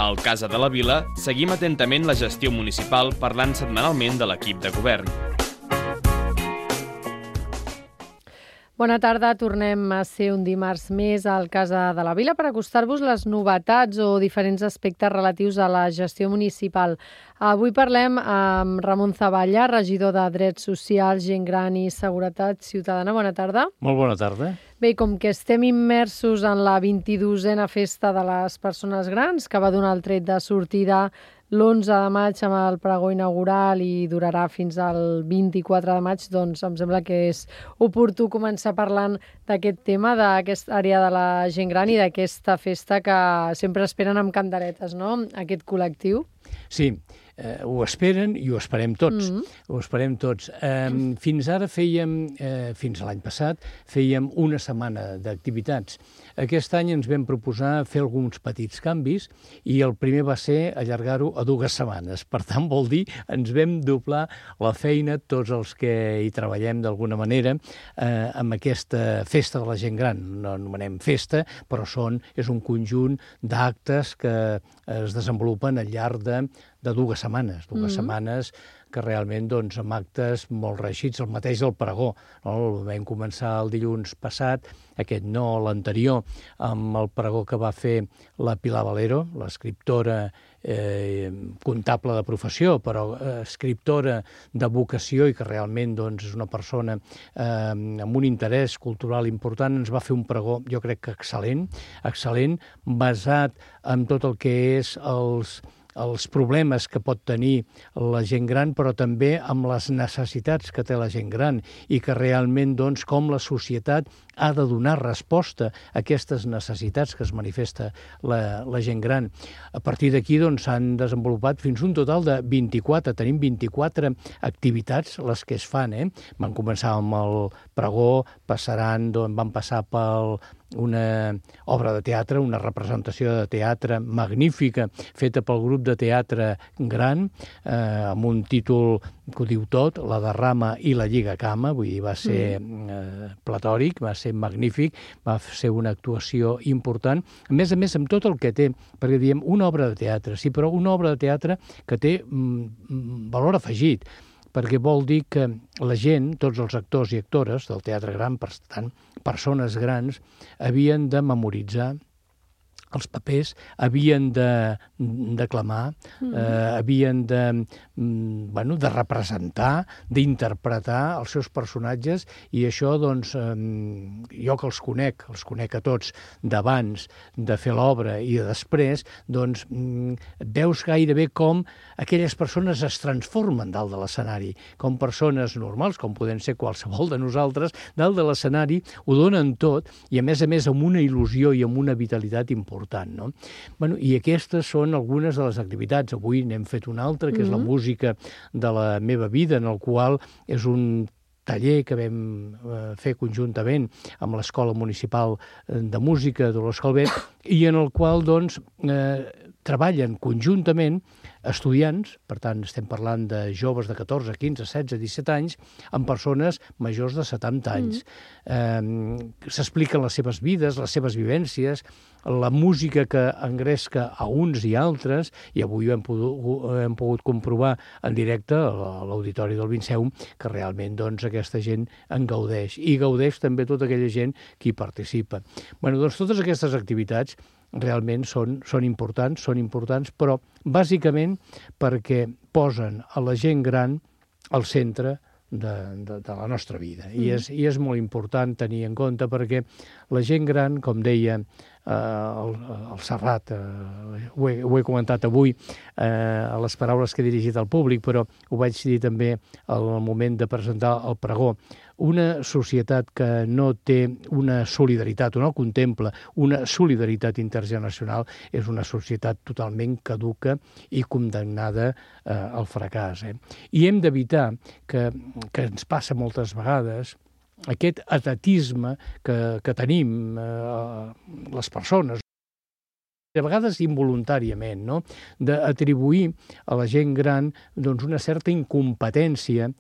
Al Casa de la Vila seguim atentament la gestió municipal parlant setmanalment de l'equip de govern. Bona tarda, tornem a ser un dimarts més al Casa de la Vila per acostar-vos les novetats o diferents aspectes relatius a la gestió municipal. Avui parlem amb Ramon Zavalla, regidor de Drets Socials, Gent Gran i Seguretat Ciutadana. Bona tarda. Molt bona tarda. Bé, com que estem immersos en la 22a Festa de les Persones Grans, que va donar el tret de sortida l'11 de maig amb el pregó inaugural i durarà fins al 24 de maig, doncs em sembla que és oportú començar parlant d'aquest tema, d'aquesta àrea de la gent gran i d'aquesta festa que sempre esperen amb candeletes, no?, aquest col·lectiu. Sí, ho esperen i ho esperem tots. Ho esperem tots. Fins ara fins a l'any passat, fèiem una setmana d'activitats. Aquest any ens vam proposar fer alguns petits canvis i el primer va ser allargar-ho a 2 setmanes. Per tant, vol dir, ens vam doblar la feina tots els que hi treballem d'alguna manera amb aquesta festa de la gent gran. No anomenem festa, però és un conjunt d'actes que es desenvolupen al llarg de 2 setmanes. 2 setmanes que realment amb actes molt reeixits, el mateix del pregó. No? Vam començar el dilluns passat, aquest no, l'anterior, amb el pregó que va fer la Pilar Valero, l'escriptora comptable de professió, però escriptora de vocació i que realment és una persona amb un interès cultural important. Ens va fer un pregó, jo crec que excel·lent, basat en tot el que és els problemes que pot tenir la gent gran, però també amb les necessitats que té la gent gran i que realment, com la societat ha de donar resposta a aquestes necessitats que es manifesta la gent gran. A partir d'aquí s'han desenvolupat fins un total de 24. Tenim 24 activitats, les que es fan. Van començar amb el pregó, van passar per una obra de teatre, una representació de teatre magnífica, feta pel grup de teatre gran, amb un títol que ho diu tot, La Derrama i la Lliga Cama, vull dir, va ser platòric, va ser magnífic, va ser una actuació important, a més amb tot el que té, perquè diem una obra de teatre, sí, però una obra de teatre que té valor afegit, perquè vol dir que la gent, tots els actors i actores del teatre gran, per tant, persones grans, havien de memoritzar els papers, havien de declamar, havien de representar, d'interpretar els seus personatges, i això, jo que els conec a tots d'abans de fer l'obra i de després, veus gairebé com aquelles persones es transformen dalt de l'escenari, com persones normals, com poden ser qualsevol de nosaltres, dalt de l'escenari ho donen tot, i a més amb una il·lusió i amb una vitalitat important. No? I aquestes són algunes de les activitats. Avui n'hem fet una altra, que és la música de la meva vida, en el qual és un taller que vam fer conjuntament amb l'Escola Municipal de Música de l'Escolbet, i en el qual treballen conjuntament estudiants, per tant estem parlant de joves de 14, 15, 16, 17 anys, amb persones majors de 70 anys. S'expliquen les seves vides, les seves vivències, la música que engresca a uns i altres, i avui hem pogut comprovar en directe a l'Auditori del Vinceum que realment aquesta gent en gaudeix, i gaudeix també tota aquella gent que hi participa. Totes aquestes activitats realment són importants, però bàsicament perquè posen a la gent gran al centre de la nostra vida. I és molt important tenir en compte, perquè la gent gran, com deia el Serrat, ho he comentat avui a les paraules que he dirigit al públic, però ho vaig dir també al moment de presentar el pregó. Una societat que no té una solidaritat, o no contempla una solidaritat intergeneracional, és una societat totalment caduca i condemnada al fracàs. I hem d'evitar que ens passa moltes vegades aquest atatisme que tenim les persones, de vegades involuntàriament, no? D'atribuir a la gent gran una certa incompetència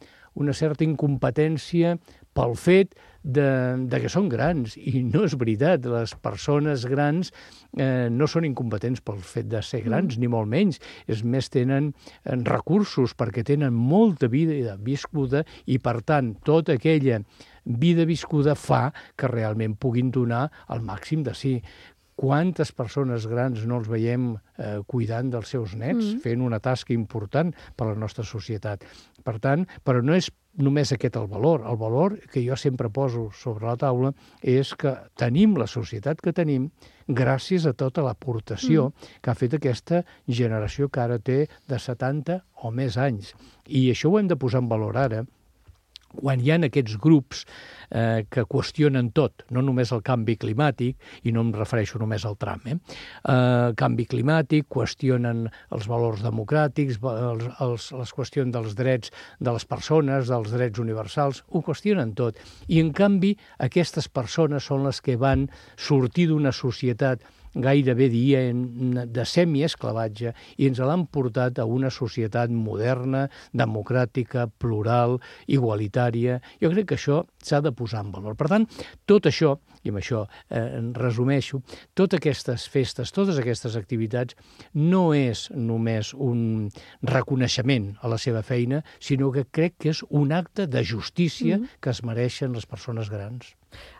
pel fet de que són grans, i no és veritat. Les persones grans no són incompetents pel fet de ser grans, ni molt menys. És més, tenen recursos perquè tenen molta vida viscuda i, per tant, tota aquella vida viscuda fa que realment puguin donar el màxim de si. Quantes persones grans no els veiem cuidant dels seus nets, fent una tasca important per a la nostra societat. Per tant, però no és només aquest el valor. El valor que jo sempre poso sobre la taula és que tenim la societat que tenim gràcies a tota l'aportació que ha fet aquesta generació que ara té de 70 o més anys. I això ho hem de posar en valor ara, quan hi ha aquests grups que qüestionen tot, no només el canvi climàtic, i no em refereixo només al tram, canvi climàtic, qüestionen els valors democràtics, les qüestions dels drets de les persones, dels drets universals, ho qüestionen tot. I, en canvi, aquestes persones són les que van sortir d'una societat gairebé de semiesclavatge i ens l'han portat a una societat moderna, democràtica, plural, igualitària. Jo crec que això s'ha de posar en valor. Per tant, tot això, i amb això resumeixo, totes aquestes festes, totes aquestes activitats no és només un reconeixement a la seva feina, sinó que crec que és un acte de justícia que es mereixen les persones grans.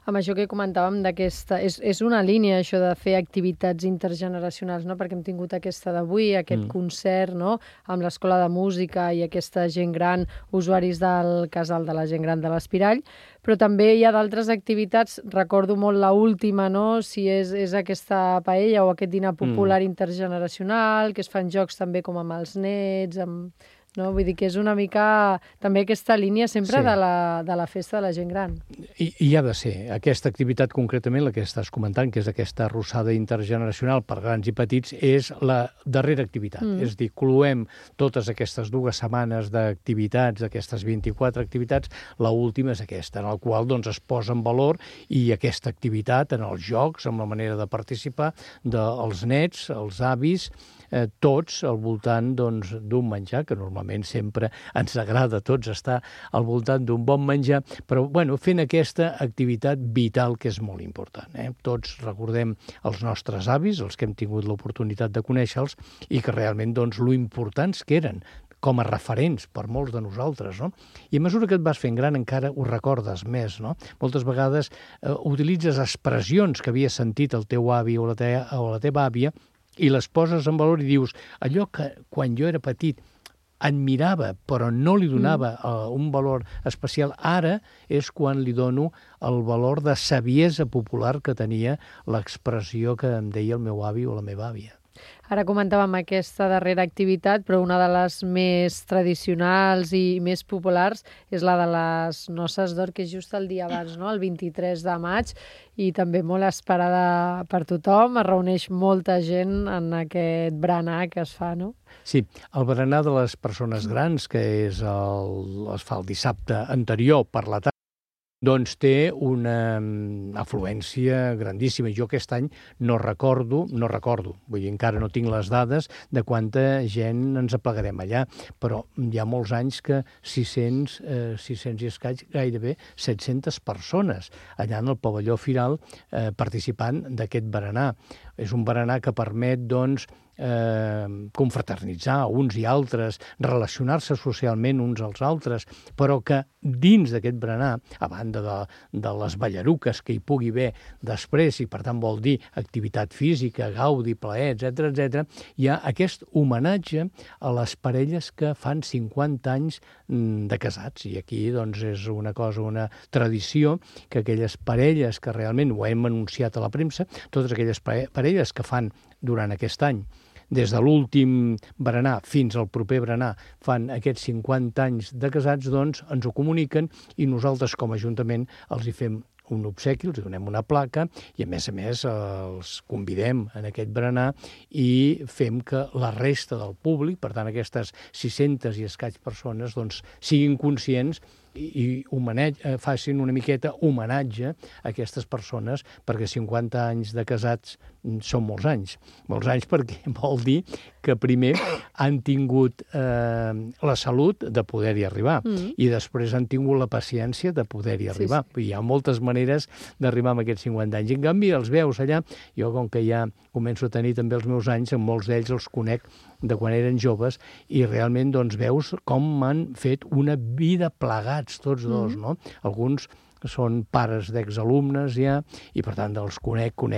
Amb això que comentàvem d'aquesta... És una línia, això de fer activitats intergeneracionals, no? Perquè hem tingut aquesta d'avui, aquest concert, no? Amb l'Escola de Música i aquesta gent gran, usuaris del casal de la gent gran de l'Espirall, però també hi ha d'altres activitats, recordo molt l'última, no? Si és aquesta paella o aquest dinar popular intergeneracional, que es fan jocs també com amb els nets, no? Vull dir que és una mica també aquesta línia sempre de la festa de la gent gran. I ha de ser. Aquesta activitat concretament, la que estàs comentant, que és aquesta arrossada intergeneracional per grans i petits, és la darrera activitat. És a dir, cloem totes aquestes 2 setmanes d'activitats, aquestes 24 activitats, l'última és aquesta, en la qual es posa en valor i aquesta activitat en els jocs, amb la manera de participar dels nets, els avis, tots al voltant d'un menjar, que normalment sempre ens agrada a tots estar al voltant d'un bon menjar, però fent aquesta activitat vital que és molt important. Tots recordem els nostres avis, els que hem tingut l'oportunitat de conèixer-los, i que realment lo importants que eren com a referents per molts de nosaltres, no? I a mesura que et vas fent gran encara ho recordes més, no? Moltes vegades utilitzes expressions que havies sentit el teu avi o la teva àvia i les poses en valor i dius, allò que quan jo era petit admirava, però no li donava un valor especial, ara és quan li dono el valor de saviesa popular que tenia l'expressió que em deia el meu avi o la meva àvia. Ara comentàvem aquesta darrera activitat, però una de les més tradicionals i més populars és la de les noces d'or, que és just el dia abans, no? El 23 de maig, i també molt esperada per tothom. Es reuneix molta gent en aquest berenar que es fa, no? Sí, el berenar de les persones grans, que es fa el dissabte anterior per la tarda, té una afluència grandíssima. Jo aquest any no recordo, vull dir, encara no tinc les dades de quanta gent ens aplegarem allà, però hi ha molts anys que 600 i escaig, gairebé 700 persones allà en el pavelló Firal participant d'aquest berenar. És un berenar que permet, confraternitzar uns i altres, relacionar-se socialment uns als altres, però que dins d'aquest berenar, a banda de les ballaruques que hi pugui haver després, i per tant vol dir activitat física, gaudi, plaer, etc., hi ha aquest homenatge a les parelles que fan 50 anys de casats. I aquí és una cosa, una tradició, que aquelles parelles que realment ho hem anunciat a la premsa, totes aquelles parelles que fan durant aquest any, des de l'últim berenar fins al proper berenar, fan aquests 50 anys de casats, ens ho comuniquen i nosaltres com a Ajuntament els hi fem un obsequi, els donem una placa i, a més, els convidem en aquest berenar i fem que la resta del públic, per tant, aquestes 600 i escaig persones, siguin conscients facin una miqueta homenatge a aquestes persones, perquè 50 anys de casats són molts anys. Molts anys perquè vol dir que primer han tingut la salut de poder-hi arribar i després han tingut la paciència de poder-hi arribar. Hi ha moltes maneres d'arribar a aquests 50 anys. En canvi, els veus allà, jo com que ja començo a tenir també els meus anys, amb molts d'ells els conec de quan eren joves, i realment doncs, veus com han fet una vida plegats tots dos, no? Alguns són pares d'exalumnes ja, i per tant els conec quan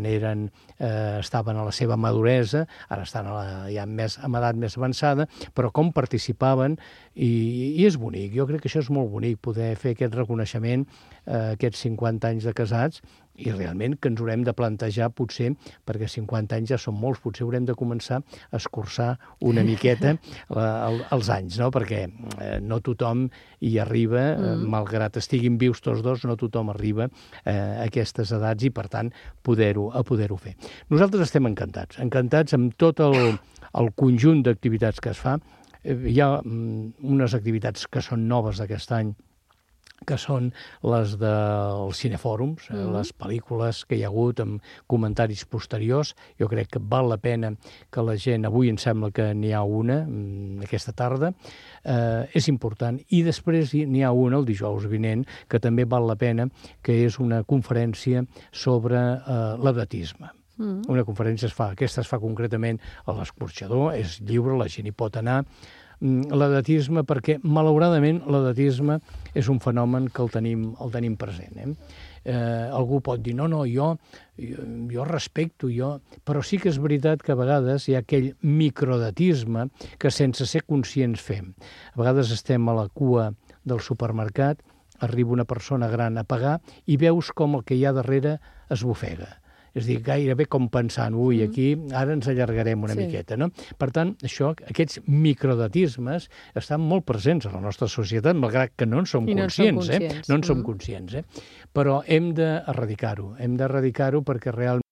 estaven a la seva maduresa, ara estan ja amb edat més avançada, però com participaven, i és bonic. Jo crec que això és molt bonic, poder fer aquest reconeixement, aquests 50 anys de casats, i realment que ens haurem de plantejar, potser, perquè 50 anys ja són molts, potser haurem de començar a escurçar una miqueta els anys, no? Perquè no tothom hi arriba, malgrat estiguin vius tots dos, no tothom arriba a aquestes edats i, per tant, poder-ho fer. Nosaltres estem encantats amb tot el conjunt d'activitats que es fa. Hi ha unes activitats que són noves d'aquest any, que són les dels cinefòrums, les pel·lícules que hi ha hagut amb comentaris posteriors. Jo crec que val la pena que la gent... Avui em sembla que n'hi ha una, aquesta tarda. És important. I després n'hi ha una, el dijous vinent, que també val la pena, que és una conferència sobre l'edatisme. Una conferència aquesta es fa concretament a l'Escorxador, és lliure, la gent hi pot anar. L'edatisme, perquè malauradament l'edatisme és un fenomen que el tenim present. Algú pot dir, no, jo respecto, però sí que és veritat que a vegades hi ha aquell microedatisme que sense ser conscients fem. A vegades estem a la cua del supermercat, arriba una persona gran a pagar i veus com el que hi ha darrere es bofega. És a dir, gairebé com pensant, aquí ara ens allargarem una miqueta, no? Per tant, aquests microedatismes estan molt presents a la nostra societat, malgrat que no en som conscients. No en som conscients, però hem d'erradicar-ho perquè realment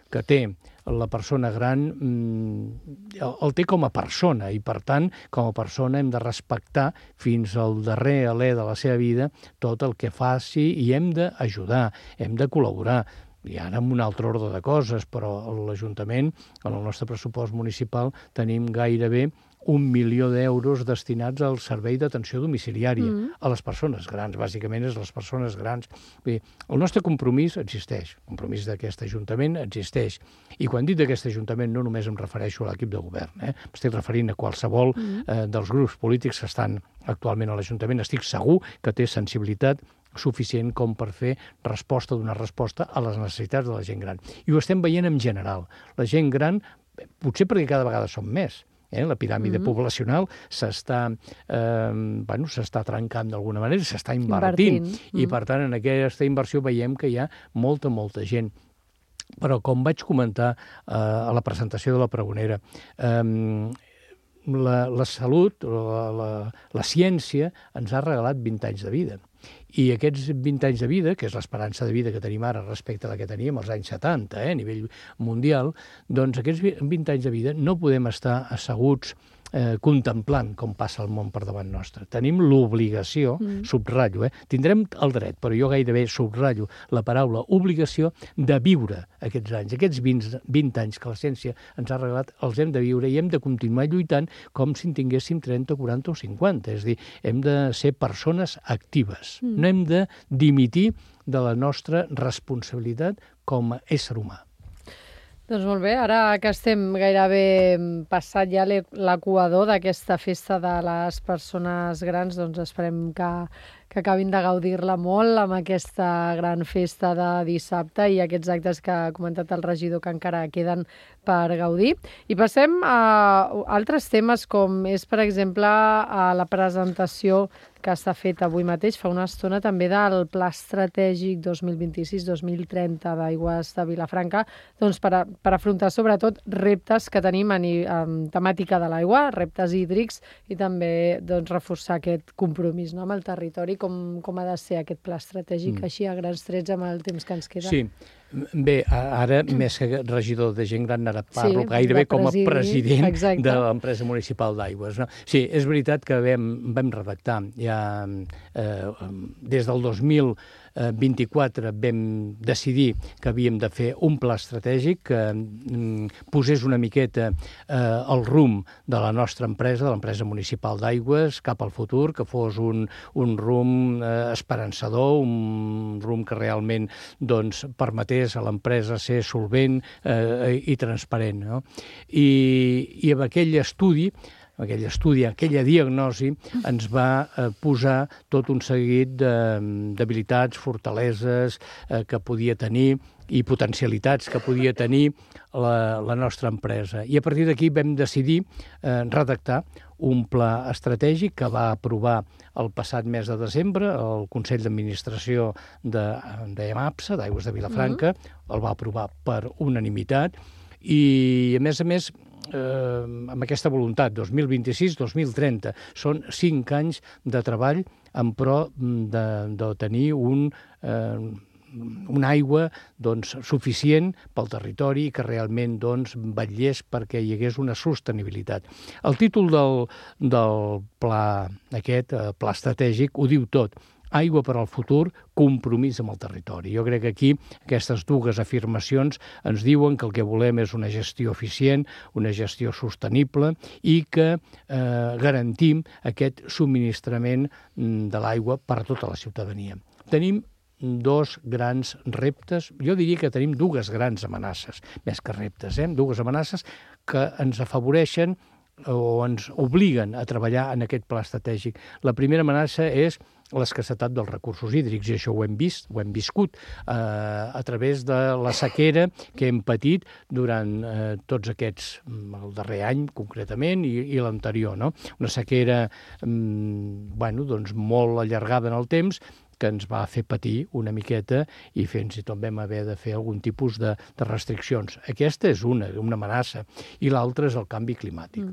que té la persona gran el té com a persona i, per tant, com a persona hem de respectar fins al darrer alè de la seva vida tot el que faci i hem d'ajudar, hem de col·laborar. I ara amb un altre ordre de coses, però a l'Ajuntament, en el nostre pressupost municipal, tenim gairebé 1 milió d'euros destinats al servei d'atenció domiciliària a les persones grans. Bàsicament és les persones grans. Bé, el nostre compromís existeix, el compromís d'aquest Ajuntament existeix. I quan dic d'aquest Ajuntament no només em refereixo a l'equip de govern, m'estic referint a qualsevol dels grups polítics que estan actualment a l'Ajuntament. Estic segur que té sensibilitat suficient com per donar resposta a les necessitats de la gent gran. I ho estem veient en general. La gent gran, potser perquè cada vegada som més, la piràmide poblacional s'està trencant d'alguna manera, s'està invertint. I, per tant, en aquesta inversió veiem que hi ha molta gent. Però, com vaig comentar a la presentació de la pregonera, la salut, la ciència, ens ha regalat 20 anys de vida. I aquests 20 anys de vida, que és l'esperança de vida que tenim ara respecte a la que teníem als anys 70, a nivell mundial, doncs aquests 20 anys de vida no podem estar asseguts contemplant com passa el món per davant nostre. Tenim l'obligació, subratllo, tindrem el dret, però jo gairebé subratllo la paraula obligació de viure aquests anys. Aquests 20 anys que la ciència ens ha regalat els hem de viure i hem de continuar lluitant com si en tinguéssim 30, 40 o 50. És a dir, hem de ser persones actives. No hem de dimitir de la nostra responsabilitat com a ésser humà. Doncs molt bé, ara que estem gairebé passat ja l'equador d'aquesta festa de les persones grans, doncs esperem que acabin de gaudir-la molt amb aquesta gran festa de dissabte i aquests actes que ha comentat el regidor que encara queden per gaudir. I passem a altres temes com és, per exemple, la presentació que s'ha fet avui mateix, fa una estona també del Pla Estratègic 2026-2030 d'Aigües de Vilafranca, doncs per afrontar sobretot reptes que tenim en temàtica de l'aigua, reptes hídrics i també doncs, reforçar aquest compromís amb el territori. Com ha de ser aquest pla estratègic així a grans trets amb el temps que ens queda? Sí, Bé, ara, més que regidor de gent gran, ara parlo gairebé com a president de l'empresa municipal d'aigües. No? Sí, és veritat que vam redactar ja des del 2024 vam decidir que havíem de fer un pla estratègic que posés una miqueta el rumb de la nostra empresa, de l'empresa municipal d'aigües, cap al futur, que fos un rumb esperançador, un rumb que realment doncs, permetés a l'empresa ser solvent i transparent. No? I amb aquell estudi, aquella diagnosi, ens va posar tot un seguit d'habilitats, fortaleses que podia tenir i potencialitats que podia tenir la nostra empresa. I a partir d'aquí vam decidir redactar un pla estratègic que va aprovar el passat mes de desembre el Consell d'Administració d'EMAPSA, d'Aigües de Vilafranca, el va aprovar per unanimitat i, a més, amb aquesta voluntat, 2026-2030, són 5 anys de treball en pro de tenir una aigua doncs, suficient pel territori i que realment doncs, vetllés perquè hi hagués una sostenibilitat. El títol del pla aquest, pla estratègic, ho diu tot. Aigua per al futur, compromís amb el territori. Jo crec que aquí aquestes dues afirmacions ens diuen que el que volem és una gestió eficient, una gestió sostenible i que garantim aquest subministrament de l'aigua per a tota la ciutadania. Tenim 2 grans reptes, jo diria que tenim 2 grans amenaces, més que reptes, 2 amenaces que ens afavoreixen o ens obliguen a treballar en aquest pla estratègic. La primera amenaça és l'escassetat dels recursos hídrics, i això ho hem viscut a través de la sequera que hem patit durant tots aquests, el darrer any concretament i l'anterior, no? Una sequera doncs, molt allargada en el temps, que ens va fer patir una miqueta i fins i tot vam haver de fer algun tipus de restriccions. Aquesta és una amenaça, i l'altra és el canvi climàtic.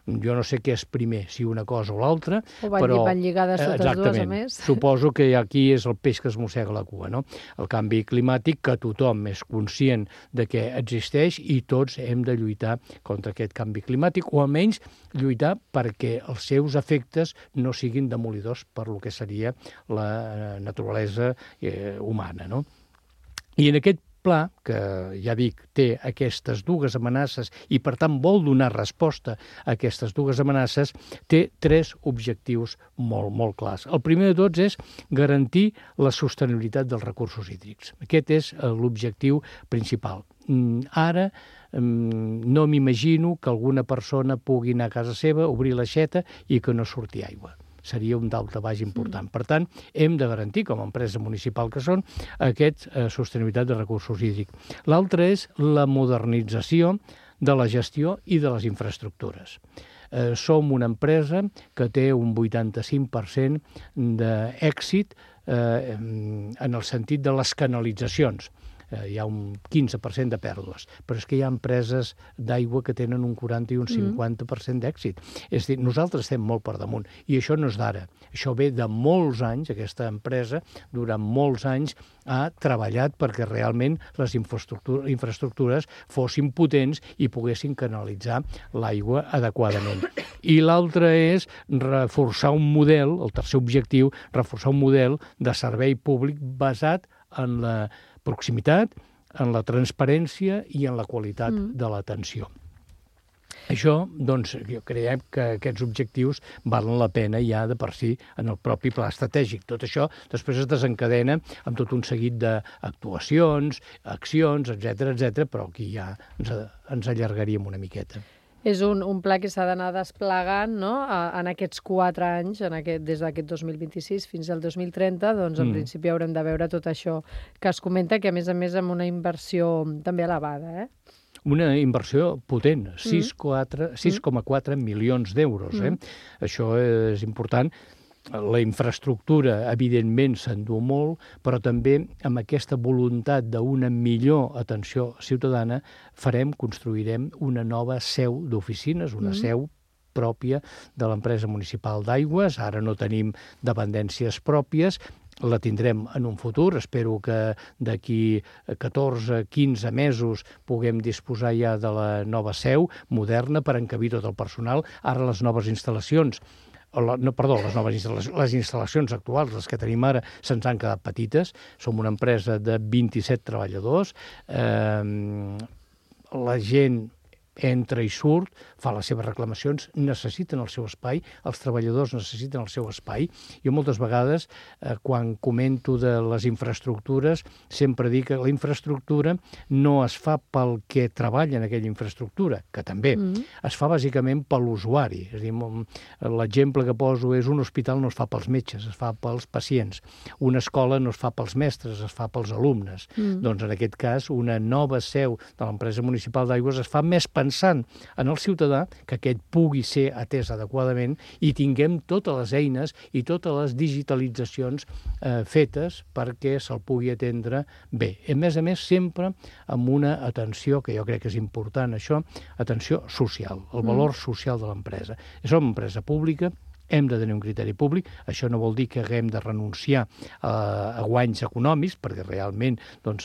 Jo no sé què és primer, si una cosa o l'altra, però... van lligades totes dues, a més. Suposo que aquí és el peix que es mossega la cua, no? El canvi climàtic, que tothom és conscient de que existeix i tots hem de lluitar contra aquest canvi climàtic, o almenys lluitar perquè els seus efectes no siguin demolidors per lo que seria la naturalesa humana, no? I en aquest pla, que ja dic, té aquestes 2 amenaces i, per tant, vol donar resposta a aquestes 2 amenaces, té 3 objectius molt, molt clars. El primer de tots és garantir la sostenibilitat dels recursos hídrics. Aquest és l'objectiu principal. Ara no m'imagino que alguna persona pugui anar a casa seva, obrir l'aixeta i que no surti aigua. Seria un daltabaix important. Per tant, hem de garantir, com a empresa municipal que són, aquesta sostenibilitat de recursos hídrics. L'altre és la modernització de la gestió i de les infraestructures. Som una empresa que té un 85% d'èxit en el sentit de les canalitzacions. Hi ha un 15% de pèrdues, però és que hi ha empreses d'aigua que tenen un 40 i un 50% d'èxit. És a dir, nosaltres estem molt per damunt, i això no és d'ara. Això ve de molts anys, aquesta empresa, durant molts anys, ha treballat perquè realment les infraestructures fossin potents i poguessin canalitzar l'aigua adequadament. I l'altre és reforçar un model, el tercer objectiu, reforçar un model de servei públic basat en la proximitat, en la transparència i en la qualitat de l'atenció. Això, doncs, jo crec que aquests objectius valen la pena ja de per si en el propi pla estratègic. Tot això després es desencadena amb tot un seguit d'actuacions, accions, etc., però aquí ja ens allargaríem una miqueta. És un pla que s'ha d'anar desplegant, no? En aquests 4 anys, des d'aquest 2026 fins al 2030, doncs en principi haurem de veure tot això que es comenta, que a més amb una inversió també elevada, Una inversió potent, 6,4 milions d'euros. Això és important. La infraestructura, evidentment, s'endú molt, però també amb aquesta voluntat d'una millor atenció ciutadana construirem una nova seu d'oficines, una seu pròpia de l'empresa municipal d'aigües. Ara no tenim dependències pròpies, la tindrem en un futur. Espero que d'aquí 14-15 mesos puguem disposar ja de la nova seu moderna per encabir tot el personal. Ara les noves instal·lacions, les instal·lacions actuals, les que tenim ara, se'ns han quedat petites. Som una empresa de 27 treballadors. La gent entra i surt, fa les seves reclamacions, necessiten el seu espai, els treballadors necessiten el seu espai. Jo moltes vegades, quan comento de les infraestructures, sempre dic que la infraestructura no es fa pel que treballa en aquella infraestructura, que també, es fa bàsicament per l'usuari. És a dir, l'exemple que poso és un hospital no es fa pels metges, es fa pels pacients. Una escola no es fa pels mestres, es fa pels alumnes. Doncs en aquest cas, una nova seu de l'empresa municipal d'aigües es fa més pensant en el ciutadà, que aquest pugui ser atès adequadament i tinguem totes les eines i totes les digitalitzacions fetes perquè se'l pugui atendre bé. A més, sempre amb una atenció, que jo crec que és important això, atenció social, el valor social de l'empresa. Som una empresa pública, hem de tenir un criteri públic. Això no vol dir que haguem de renunciar a guanys econòmics, perquè realment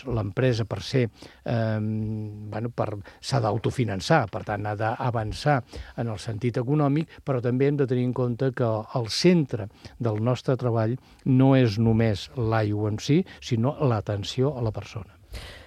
l'empresa per ser s'ha d'autofinançar, per tant ha d'avançar en el sentit econòmic, però també hem de tenir en compte que el centre del nostre treball no és només l'aigua en si, sinó l'atenció a la persona.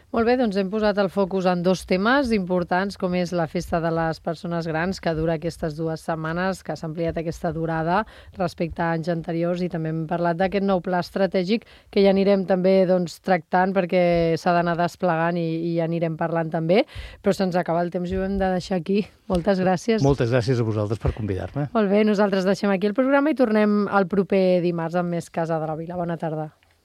Molt bé, doncs hem posat el focus en dos temes importants, com és la Festa de les Persones Grans, que dura aquestes 2 setmanes, que s'ha ampliat aquesta durada respecte a anys anteriors, i també hem parlat d'aquest nou pla estratègic que ja anirem també tractant perquè s'ha d'anar desplegant i ja anirem parlant també, però se'ns acaba el temps i ho hem de deixar aquí. Moltes gràcies. Moltes gràcies a vosaltres per convidar-me. Molt bé, nosaltres deixem aquí el programa i tornem el proper dimarts amb més Casa de la Vila. Bona tarda.